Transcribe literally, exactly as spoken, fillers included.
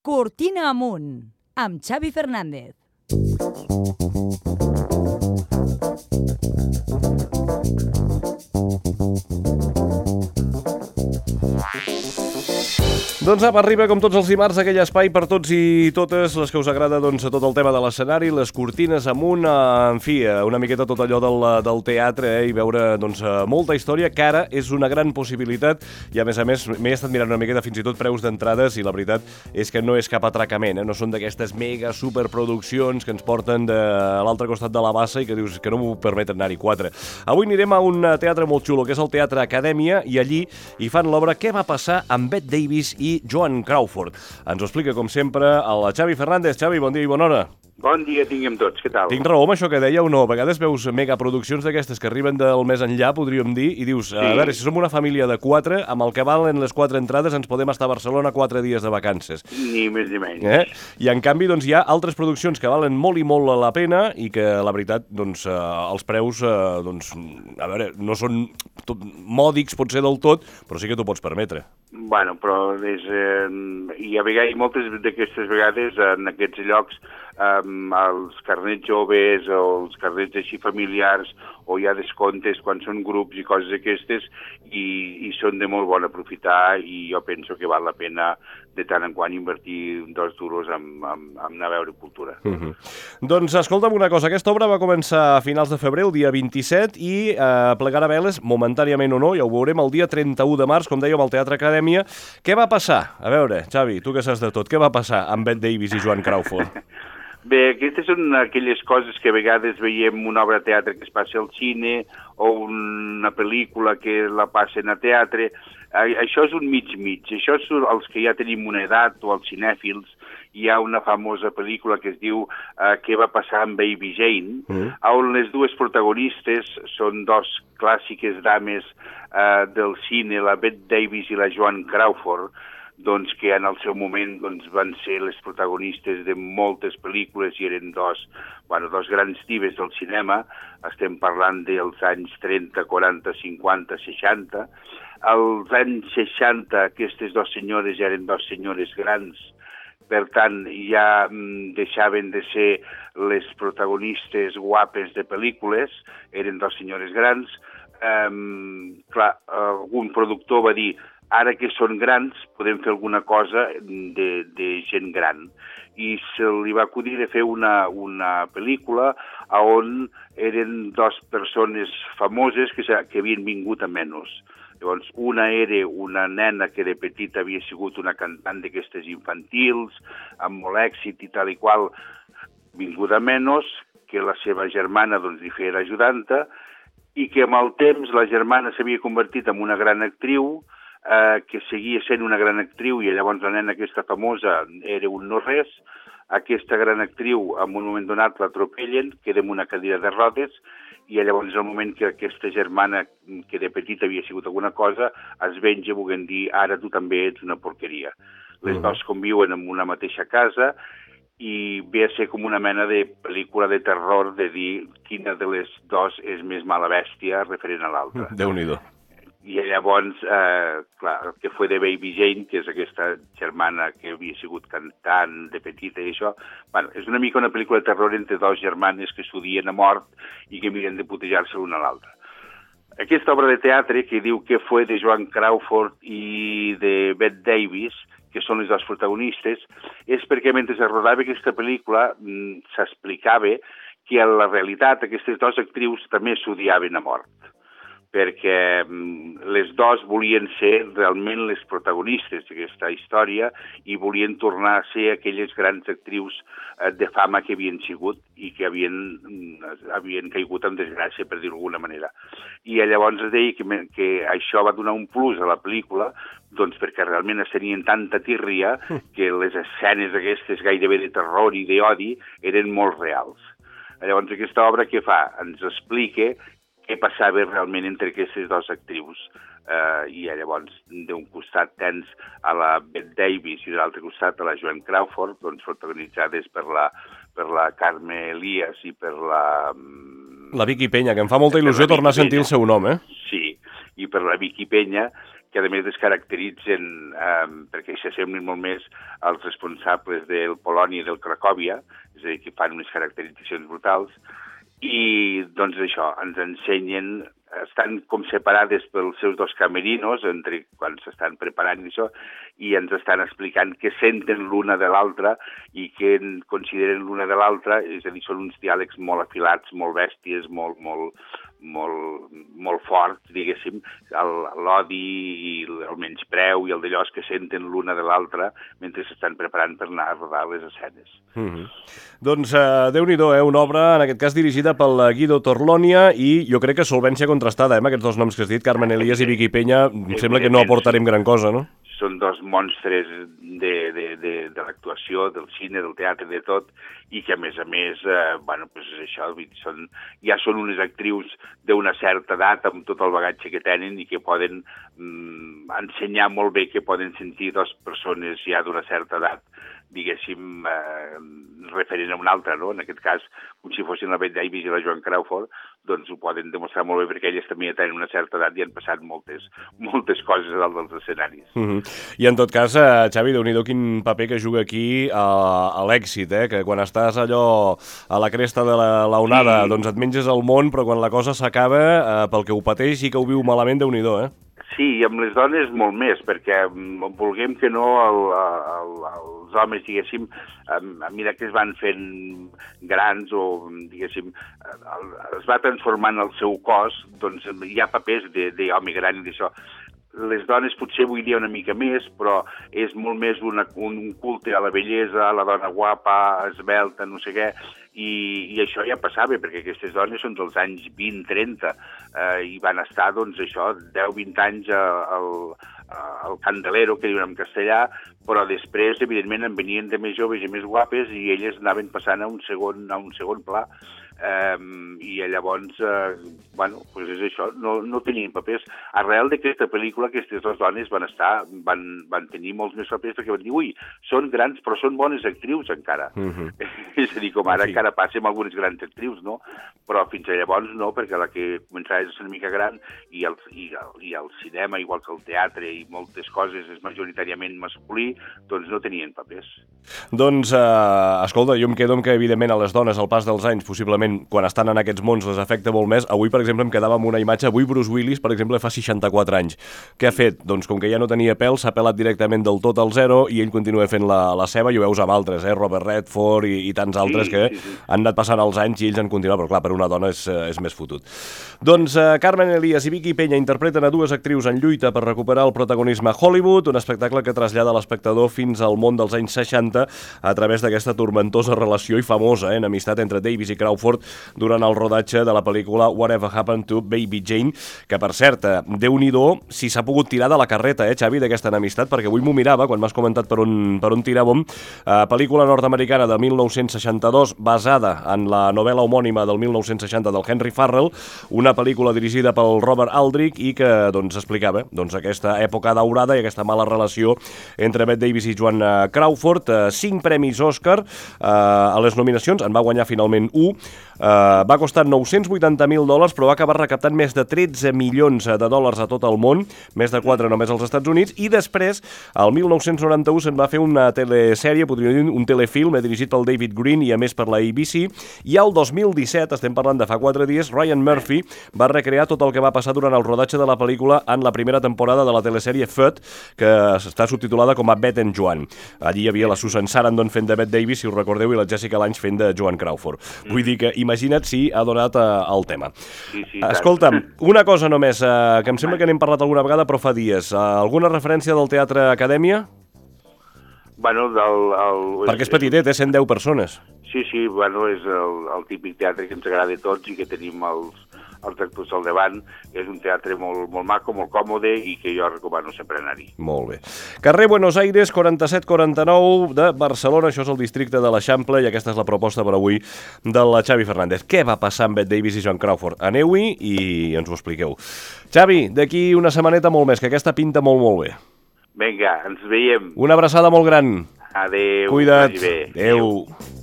Cortina amunt, amb Xavi Fernández. Doncs apa, arriba com tots els dimarts aquell espai per tots i totes les que us agrada, doncs, tot el tema de l'escenari, les cortines amunt, en fi, una miqueta tot allò del, del teatre, eh, i veure, doncs, molta història, que ara és una gran possibilitat, i a més a més m'he estat mirant una miqueta fins i tot preus d'entrades, i la veritat és que no és cap atracament, eh? No són d'aquestes mega superproduccions que ens porten de l'altre costat de la bassa i que dius que no m'ho permeten anar-hi quatre. Avui anirem a un teatre molt xulo, que és el Teatre Acadèmia, i allí hi fan l'obra Què va passar amb Bette Davis i Joan Crawford. Ens ho explica, com sempre, el Xavi Fernández. Xavi, bon dia i bona hora. Bon dia tinguem tots, què tal? Tinc raó amb això que deia o no? A vegades veus megaproduccions d'aquestes que arriben del més enllà, podríem dir, i dius, sí. A veure, si som una família de quatre, amb el que valen les quatre entrades ens podem estar a Barcelona quatre dies de vacances. Ni més ni menys. Eh? I en canvi, doncs, hi ha altres produccions que valen molt i molt la pena i que, la veritat, doncs, eh, els preus, eh, doncs, a veure, no són tot, mòdics, pot ser del tot, però sí que t'ho pots permetre. Bueno, però és, eh, hi ha vegades, moltes d'aquestes vegades en aquests llocs Um, els carnets joves o els carnets així familiars o hi ha descomptes quan són grups i coses aquestes i, i són de molt bon aprofitar i jo penso que val la pena de tant en quant invertir dos duros en, en, en anar a veure cultura. Uh-huh. Doncs escolta'm una cosa, aquesta obra va començar a finals de febrer, el dia vint-i-set, i eh, plegarà veles, momentàniament o no, ja ho veurem, el dia trenta-u de març, com dèiem, al Teatre Acadèmia. Què va passar? A veure, Xavi, tu que saps de tot, què va passar amb Bette Davis i Joan Crawford? Bé, aquestes són aquelles coses que a vegades veiem una obra de teatre que es passa al cine o una pel·lícula que la passen a teatre. Això és un mig-mig. Això és els que ja tenim una edat o els cinèfils. Hi ha una famosa pel·lícula que es diu uh, Què va passar amb Baby Jane, mm. on les dues protagonistes són dos clàssiques dames uh, del cine, la Bette Davis i la Joan Crawford, doncs que en el seu moment doncs, van ser les protagonistes de moltes pel·lícules i eren dos, bueno, dos grans divas del cinema. Estem parlant dels anys trenta, quaranta, cinquanta, seixanta. Als anys seixanta aquestes dues senyores ja eren dues senyores grans, per tant ja mm, deixaven de ser les protagonistes guapes de pel·lícules, eren dues senyores grans. Um, clar, algun productor va dir ara que són grans podem fer alguna cosa de, de gent gran. I se li va acudir de fer una, una pel·lícula on eren dues persones famoses que, que havien vingut a menys. Llavors, una era una nena que de petita havia sigut una cantant d'aquestes infantils, amb molt èxit i tal i qual, vinguda a menys, que la seva germana doncs, li feia ajudanta, i que amb el temps la germana s'havia convertit en una gran actriu, eh, que seguia sent una gran actriu, i llavors la nena aquesta famosa era un no-res. Aquesta gran actriu, en un moment donat, l'atropellen, queda en una cadira de rodes, i llavors és el moment que aquesta germana, que de petita havia sigut alguna cosa, es venja, volent dir, ara tu també ets una porqueria. Les uh-huh. dues conviuen en una mateixa casa, i ve a ser com una mena de pel·lícula de terror de dir quina de les dues és més mala bèstia referent a l'altra. Déu-n'hi-do. I llavors, eh, clar, el que fue de Baby Jane, que és aquesta germana que havia sigut cantant de petita i això, bueno, és una mica una pel·lícula de terror entre dos germanes que s'odien a mort i que miren de putejar-se l'una a l'altra. Aquesta obra de teatre que diu que fue de Joan Crawford i de Bette Davis, que són les dues protagonistes, és perquè mentre es rodava aquesta pel·lícula s'explicava que en la realitat aquestes dues actrius també s'odiaven a mort, perquè les dues volien ser realment les protagonistes d'aquesta història i volien tornar a ser aquelles grans actrius de fama que havien sigut i que havien, havien caigut en desgràcia, per dir-ho d'alguna manera. I llavors es deia que, que això va donar un plus a la pel·lícula, doncs perquè realment es tenien tanta tírria que les escenes aquestes gairebé de terror i d'odi eren molt reals. Llavors aquesta obra què fa? Ens explica què passava realment entre aquestes dues actrius. Uh, I llavors, d'un costat tens a la Bette Davis i de l'altre costat a la Joan Crawford, doncs protagonitzades per la, per la Carme Elias i per la... La Vicky Peña, que em fa molta il·lusió tornar a sentir el seu nom, eh? Sí, i per la Vicky Peña, que a més es caracteritzen eh, perquè s'assemblin molt més als responsables del Polònia i del Cracòvia, és a dir, que fan unes caracteritzacions brutals, i doncs això, ens ensenyen, estan com separades pels seus dos camerinos, entre quan s'estan preparant i això, i ens estan explicant què senten l'una de l'altra i què consideren l'una de l'altra, és a dir, són uns diàlegs molt afilats, molt bèsties, molt, molt, molt, molt forts, diguéssim, l'odi i el menyspreu i el d'allò que senten l'una de l'altra mentre s'estan preparant per anar a rodar les escenes. Mm-hmm. Doncs uh, Déu-n'hi-do, eh? Una obra, en aquest cas, dirigida pel Guido Torlonia i jo crec que solvència contrastada, eh? Amb aquests dos noms que has dit, Carmen Elias i Vicky Peña, em sembla que no aportarem gran cosa, no? Són dos monstres de, de, de, de l'actuació, del cine, del teatre, de tot, i que, a més a més, eh, bueno, pues això, són, ja són unes actrius d'una certa edat, amb tot el bagatge que tenen i que poden mm, ensenyar molt bé que poden sentir dues persones ja d'una certa edat, diguéssim, eh, referent a una altra, no? En aquest cas, com si fossin la Bette Davis i la Joan Crawford, doncs ho poden demostrar molt bé perquè elles també ja tenen una certa edat i han passat moltes, moltes coses a dalt dels escenaris. Mm-hmm. I en tot cas, eh, Xavi, Déu-n'hi-do quin paper que juga aquí a, a l'èxit, eh? Que quan estàs allò a la cresta de la, la onada, sí, doncs et menges el món, però quan la cosa s'acaba, eh, pel que ho pateix i que ho viu malament, Déu-n'hi-do, eh? Sí, i amb les dones molt més, perquè vulguem que no, el, el, els homes, diguéssim, a mesura que es van fent grans o, diguéssim, el, es va transformant el seu cos, doncs hi ha papers d'home gran i d'això. Les dones potser avui dia una mica més, però és molt més una, un culte a la bellesa, a la dona guapa, esbelta, no sé què, i, i això ja passava, perquè aquestes dones són dels anys vint trenta, eh, i van estar, doncs, això, deu vint anys al, al candelero, que diuen en castellà, però després, evidentment, en venien de més joves i més guapes i elles anaven passant a un segon, a un segon pla. Um, i llavors, uh, bueno, pues és això, no, no tenien papers. Arrel d'aquesta pel·lícula, aquestes dues dones van estar, van, van tenir molts més papers perquè van dir, ui, són grans, però són bones actrius encara. Uh-huh. És a dir, com ara sí, encara passa amb algunes grans actrius, no? Però fins a llavors no, perquè la que començava a ser una mica gran i el, i, el, i el cinema, igual que el teatre i moltes coses, és majoritàriament masculí, doncs no tenien papers. Doncs, uh, escolta, jo em quedo amb que, evidentment, a les dones, al pas dels anys, possiblement, quan estan en aquests mons les afecta molt més. Avui, per exemple, em quedava amb una imatge. Avui Bruce Willis, per exemple, fa seixanta-quatre anys. Què ha fet? Doncs com que ja no tenia pèl, s'ha pelat directament del tot al zero i ell continua fent la, la seva, i ho veus amb altres, eh? Robert Redford i, i tants altres sí, que sí, sí. han anat passant els anys i ells han continuat, però clar, per una dona és, és més fotut. Doncs uh, Carmen Elias i Vicky Peña interpreten a dues actrius en lluita per recuperar el protagonisme a Hollywood, un espectacle que trasllada l'espectador fins al món dels anys seixanta a través d'aquesta tormentosa relació i famosa eh, enemistat entre Davis i Crawford durant el rodatge de la pel·lícula Whatever Happened to Baby Jane, que per cert, Déu-n'hi-do si s'ha pogut tirar de la carreta, eh, Xavi, d'aquesta enemistat, perquè avui m'ho mirava quan m'has comentat per on, per on tiràvem. Eh, pel·lícula nord-americana de mil nou-cents seixanta-dos, basada en la novel·la homònima del mil nou-cents seixanta del Henry Farrell, una pel·lícula dirigida pel Robert Aldrich i que doncs, explicava doncs, aquesta època daurada i aquesta mala relació entre Bette Davis i Joan Crawford. Eh, cinc premis Òscar eh, a les nominacions, en va guanyar finalment un. Uh, va costar nou-cents vuitanta mil dòlars, però va acabar recaptant més de tretze milions de dòlars a tot el món, més de quatre només als Estats Units, i després, el mil nou-cents noranta-u, se'n va fer una telesèrie, podríem dir un telefilm, eh, dirigit pel David Green i a més per la A B C, i el dos mil disset, estem parlant de fa quatre dies, Ryan Murphy va recrear tot el que va passar durant el rodatge de la pel·lícula en la primera temporada de la telesèrie Feud, que està subtitulada com a Bette and Joan. Allí hi havia la Susan Sarandon fent de Bette Davis, si us recordeu, i la Jessica Lange fent de Joan Crawford. Mm. Vull dir que imagina't si ha donat uh, el tema. Sí, sí, escolta'm, una cosa només, uh, que em sembla que n'hem parlat alguna vegada, però fa dies. Uh, alguna referència del Teatre Acadèmia? Bueno, del... El... Perquè és petitet, eh? cent deu persones. Sí, sí, bueno, és el, el típic teatre que ens agrada a tots i que tenim els, els actors al davant. És un teatre molt, molt maco, molt còmode i que jo recomano sempre anar-hi. Molt bé. Carrer Buenos Aires, quaranta-set quaranta-nou de Barcelona, això és el districte de l'Eixample i aquesta és la proposta per avui de la Xavi Fernández. Què va passar amb Bette Davis i Joan Crawford? Aneu-hi i ens ho expliqueu. Xavi, d'aquí una setmaneta molt més, que aquesta pinta molt, molt bé. Vinga, ens veiem. Una abraçada molt gran. Adéu. Cuida't. Adéu. Adéu.